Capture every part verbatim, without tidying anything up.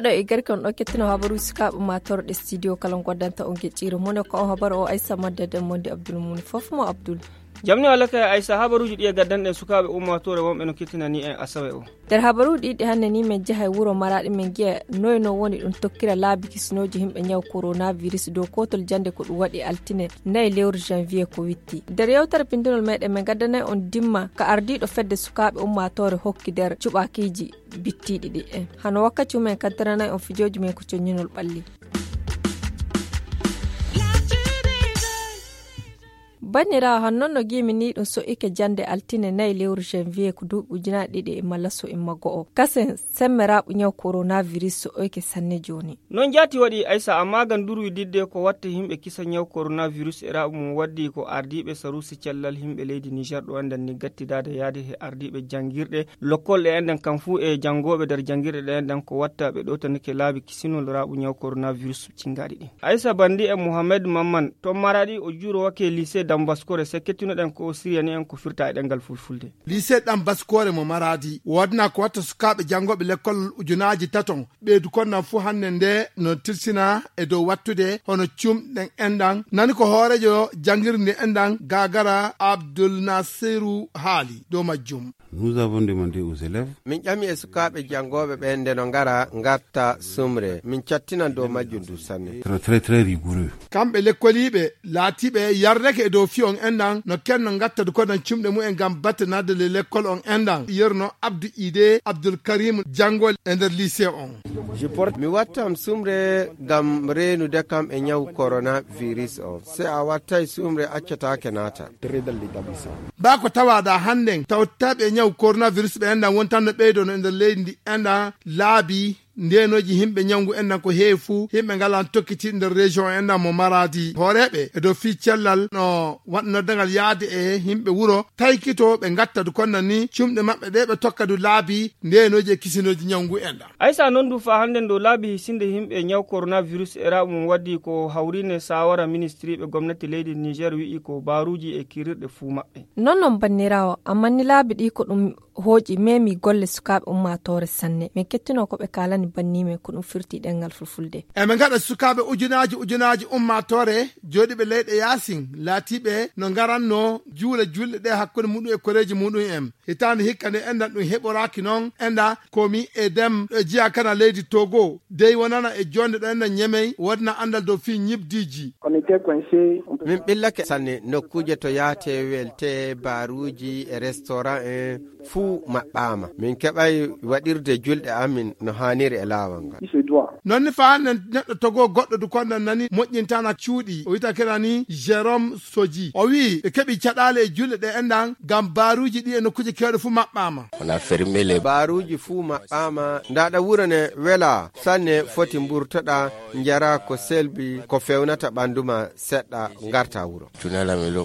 Ɗo e garke on ɗo kettino habaruuji sukaaɓe ummaatoore ɗe studio kala goddanta on geɗɗiire mone ko on habaru o Aysa Madde Demmondi Abdul Muni fof mo Abdul. Jamni walla kay Aysa, habaruuji ɗi e gaddanɗen sukaaɓe ummaatoore wonɓe no kettinani en asawe o. Nder habaruuji ɗi hannde ni men jaha e wuro Maraɗi men giya noy no woni ɗum tokkira laabi kisinooji himɓe ñaw coronavirus dow kootol jannde ko ɗum waɗi altine nayi lewru janvier ko witti. Nder yewtere bindunol meɗen men gaddanay on dimma ka ardiiɗo fedde sukaaɓe ummaatoore hokki nder cuɓakiiji bittiiɗi ɗi en. Hano wakkati mumen kaddaranay on fijooji men ko coññinol ɓalli. Banniraawo, han non no giimi ni ɗum so'ike jannde altine nayi lewru janvier ko duuɓi ujunaaji ɗiɗi e malla so imma go'o. Kasen semmeraaɓu ñaw coronavirus so'ike sanne jooni. Non jaati waɗi Aysa, amma gam durwi didde ko watta himɓe kisa ñaw coronavirus e raɓu mum waddi ko ardiiɓe saruusi cellal himɓe leydi Niger ɗo enɗan ni gattidaade yaade he ardiiɓe janngirɗe lokkol ɗe enɗan kam fuu e janngooɓe nder janngirɗe ɗe enɗan ko watta ɓe ɗowtanike laabi kisinol raɓu ñaw coronavirus cinngaaɗi ɗin. Aysa Bandi e Mohamed Mamman ton Maraɗi o juuro wake lycée Dambaskore se kettinoɗen ko o siriyani en ko firta e ɗemngal fulfulde. Lycée Dambaskore mo Maraadi woodna ko watta sukaaɓe janngooɓe lekkol ujunaaji taton ɓeydu kon nan fuu hannde nde no tirsina e dow wattude hono cumɗen enɗan. Nani ko hooreejo janngirde ndi enɗan Gagara Abdul Nasiru haali dow majjum. Nous avons demandé aux élèves. Min ƴami e sukaaɓe janngooɓe ɓen nde no ngara ngarta sumre. Min cattinan dow majjum du sanne. Très, très, très rigoureux. Kamɓe lekkoliiɓe laatiiɓe yardake e dow fiyon enɗan no kenno ngatta du kodan cumɗe mumen ngam battanade le lekkol on enɗan. Yerno Abdou Idé Abdoul Karim janngol e nder lycée on. Mi wattam sumre ngam reenude kam e ñaw coronavirus on. Se a wattay sumre, accataake naata. Baa ko tawaada hannden tawtaaɓe e ñaw coronavirus ɓe enɗan wontanno ɓeydono e nder leydi ndi enɗan laabi ndeenooji himɓe ñawngu enɗan ko heewi fuu, himɓe ngalan tokkiti nder région enɗan mo Maraadi. Hooreeɓe e dow fii cellal no waɗ noddangal yaade e himɓe wuro taykito ɓe ngatta du konna ni cumɗe maɓɓe ɗe ɓe tokka du laabi ndeenooji e kisinooji ñawngu enɗan. Aysa non du faa hannden dow laabi hisinde himɓe ñaw coronavirus e raɓu mum waddi ko hawrine saawara ministiriiɓe gomnati leydi Niger wi'i ko baaruuji e kirirɗe fuu maɓɓe. Non non banniraawo, amma ni laabi ɗi ko ɗum hooƴi memi golle sukaaɓe ummaatoore sanne. Min kettino ko ɓe kaalani banniimen ko ɗum firti ɗemngal fulfulde. E ɓe ngaɗa sukaaɓe ujunaaji ujunaaji ummaatoore jooɗiiɓe leyɗe yaasin laatiiɓe no ngaranno juula julɗe ɗe hakkunde muɗum e koreeji muɗum en. Hitaande hikka nde enɗan ɗum heɓoraaki non enɗa komi e dem ɗo jiya kana leydi Togo dey wonana e jonde ɗo enɗan ñemey wodna anndal dow fii ñibdiiji. Min ɓillake sanne nokkuuje to yaate welte baaruuji e restaurant en fuu maɓɓaama. Min keɓay waɗirde julɗe amin no haaniri e laawol ngal. Non ni faa hannden neɗɗo Togo goɗɗo du konɗan nani moƴƴintana cuuɗi o wita kena ni Jérôme Soji o wi'i ɓe keɓi caɗaale e julɗe ɗe enɗan ngam baaruuji ɗi e nokkuuje keewɗe fuu maɓɓaama. Baaruuji fuu maɓɓaama. Ndaaɗa wuro ne welaa sanne foti mburtoɗa njara ko selbi ko fewnata ɓandu ma seɗɗa ngarta wuro.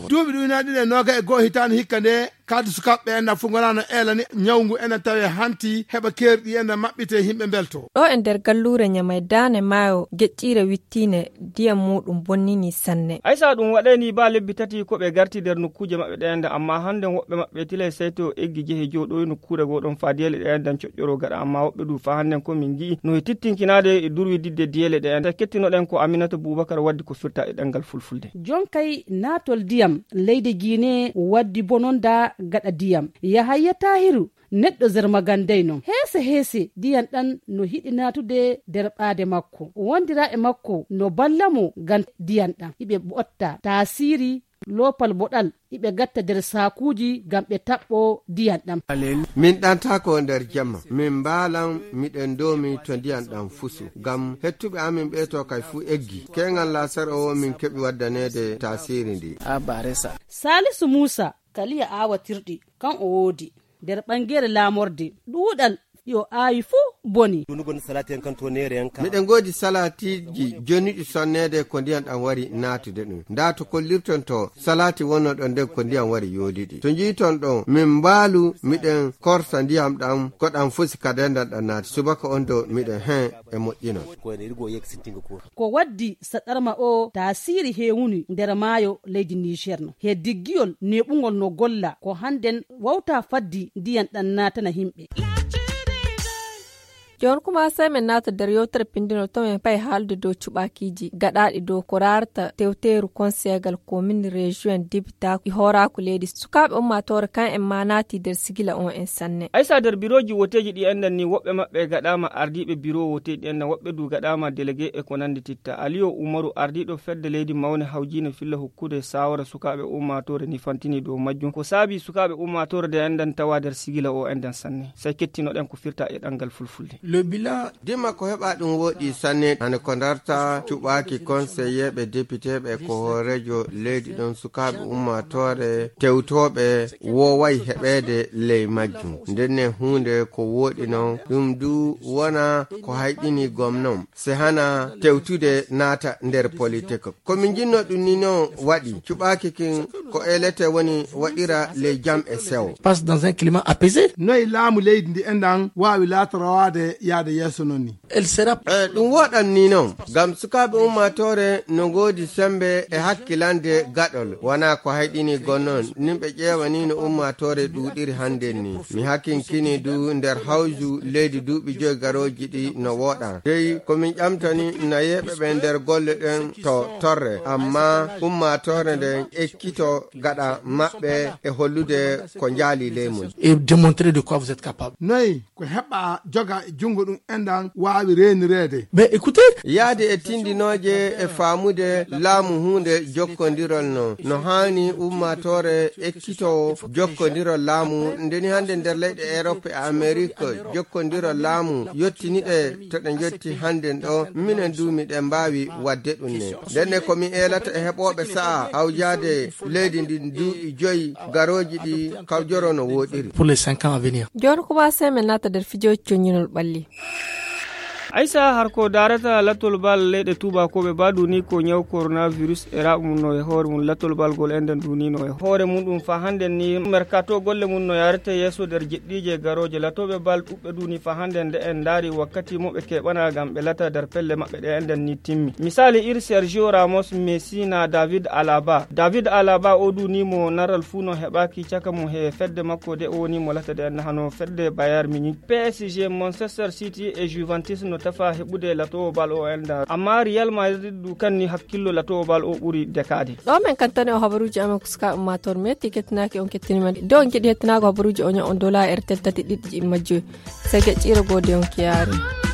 Duuɓi ɗuynaaɗi ɗiɗi e nooga e go'o hitaande hikka nde kaadi sukaaɓe ɓe enɗan fuu ngonano eelani ñawngu enɗan tawe hanti heɓa keerɗi enɗan maɓɓite himɓe mbelto. Ɗo e nder galluure ñamay daane maayo geƴƴiire wittiine ndiyam muuɗum bonnini sanne. Aysa ɗum waɗayni baa lebbi tati ko ɓe garti nder nokkuuje maɓɓe ɗe enɗan amma hannden woɓɓe maɓɓe tilay sayto eggi jehe jooɗoyi nokkuure goo ɗon faa diyele ɗe enɗan coƴƴoro gaɗa amma woɓɓe du faa hannden ko min ngi'i no e tittinkinaade e durwi didde diyele ɗe enɗan kettinoɗen ko Aminata Bubakar waddi ko firta e ɗemngal fulfulde. Jonkay naatol ndiyam leydi Giine waddi bononda gaɗa ndiyam. Yahaya Tahiru neɗɗo Zermagandey non. Heese heese ndiyam ɗam no hiɗi naatude nder ɓaade makko. Wondiraaɓe makko no balla mo ngam ndiyam ɗam. Iɓe ɓotta taasiiri loopal boɗal iɓe gatta nder saakuuji ngam ɓe taɓɓo ndiyam ɗam. Min ɗantaako nder jemma, min mbaalan miɗen ndoomi to ndiyam ɗam fusu, ngam hettuɓe amin ɓee to kay fuu eggi. Keeŋal laasar o min keɓi waddaneede taasiiri ndi. Saalisu Muusa, kaliya aawatirɗi, kan o woodi. Nder ɓangeere laamorde, ɗuuɗal ɗi o aawi fuu boni. Miɗen ngoodi salaatiiji jonuɗi sonneede ko ndiyam ɗam wari naatude ɗum. Ndaa to kollirton to salaati wonno ɗon nden ko ndiyam wari yooduɗi. To njiiton ɗon, min mbaalu miɗen korsa ndiyam ɗam, ko ɗam fusi ka dendal ɗam naati. Subaka on do miɗen heen e moƴƴinon. Ko waddi saɗarma o taasiiri heewuni nder maayo leydi Niger no. He diggiyol neeɓungol no golla ko hannden wawta faddi ndiyam ɗam naatana himɓe. Jooni kuma sey men naata nder yewtere pinndinol to men pay haalde dow cuɓaakiiji gaɗaaɗi dow ko raarta tewteeru konseegal komin rejiyon dibita e hooraaku leydi sukaaɓe ummaatoore kan en ma naati nder sigila on en sanne. Aysa nder birooji woteeji ɗi enɗan ni woɓɓe maɓɓe gaɗaama ardiiɓe biroo woteeji ɗi enɗan woɓɓe du gaɗaama delegee e ko nanndi titta. Aliyo Umaru ardiiɗo fedde leydi mawne hawjiine filla hokkude saawara sukaaɓe ummaatoore ni fantini dow majjum ko saabi sukaaɓe ummaatoore de enɗan tawa nder sigila o enɗan sanne. Sey kettinoɗen ko firta e ɗanngal fulfulde. Le bilan. Dima ko heɓa ɗum woɗi sanne hande ko darta cuɓaaki konseyeeɓe depiteeɓe ko hooreejo leydi ɗon sukaaɓe ummaatoore tewtooɓe wooway heɓeede ley majjum. Ndenne huunde ko woɗi non ɗum du wona ko hayɗini gomnon se hana tewtude naata nder politik. Ko min jinno ɗum ni non waɗi cuɓaaki kin ko elete woni waɗira ley jam e sewo. Passe dans un climat apaisé. Noy laamu leydi ndi enɗan waawi laatorowaade yaade yeeso non ni? Elle sera. E ɗum woɗan ni non ngam sukaaɓe ummaatoore no ngoodi sembe e hakkilande gaɗol wona ko hayɗini gonnon nimɓe ƴeewani no ummaatoore ɗuuɗiri hannden ni. Mi hakinkini du nder hawju leydi duuɓi joyi garooji ɗi no woɗan dey ko min ƴamtani nayeeɓe ɓe nder golle ɗen to torre amma ummaatoore nden ekkito gaɗa maɓɓe e hollude ko njaali ley mum. Et démontrer de quoi vous êtes capable. Noy ko heɓa joga e junngo ɗum enɗan waawi reenireede? Mais écoutez. Yaade e tindinooje e faamude laamu huunde jokkondirol no no haani ummaatoore ekkitoowo jokkondirol laamu ndeni hannde nder leyɗe Europe e Amerique jokkondirol laamu yottiniɗe to ɗe njotti hannden ɗo minen du miɗen mbaawi waɗde ɗum ne. Ndenne ko mi eelata e heɓooɓe sa'a hawjaade leydi ndin duuɓi joyi garooji ɗi kawjoro no wooɗiri. Pour les cinq ans à venir. Jooni ko waasee men naata nder fijooji coññinol ɓalli. Aysa har ko daarata lattol bal leyɗe tuubakooɓe ba duni ko ñaw coronavirus e raɓa mum no e hoore mum lattol bal gol enden dunino e hoore mum ɗum fa hannden ni merkato golle mum no yarete yeeso nder jeɗɗiije garooje latooɓe bal ɗuɓɓe duni fa hannden nde en ndaari wakkati mo ɓe keɓana ngam ɓe lata nder pelle maɓɓe ɗe enden ni timmi. Misaali iri Sergio Ramos, Messi na David Alaba. David Alaba o duni mo naral fuu no heɓaaki caka mum he fedde makko de o woni mo lata de en hano fedde Bayern Munich, P S G, Manchester City e Juventus no tafa heɓude latowo bal o en da amma Real Madrid du kanni hakkillo latowo bal o ɓuri dekaade. Ɗo men kantane o habaruuji amen ko suka ummator me ti kettinaaki on kettini men de on keɗi hettinaago habaruuji o ña on dola e R T L tati ɗiɗi majjoy. Sege ƴiira gode on kiyaari.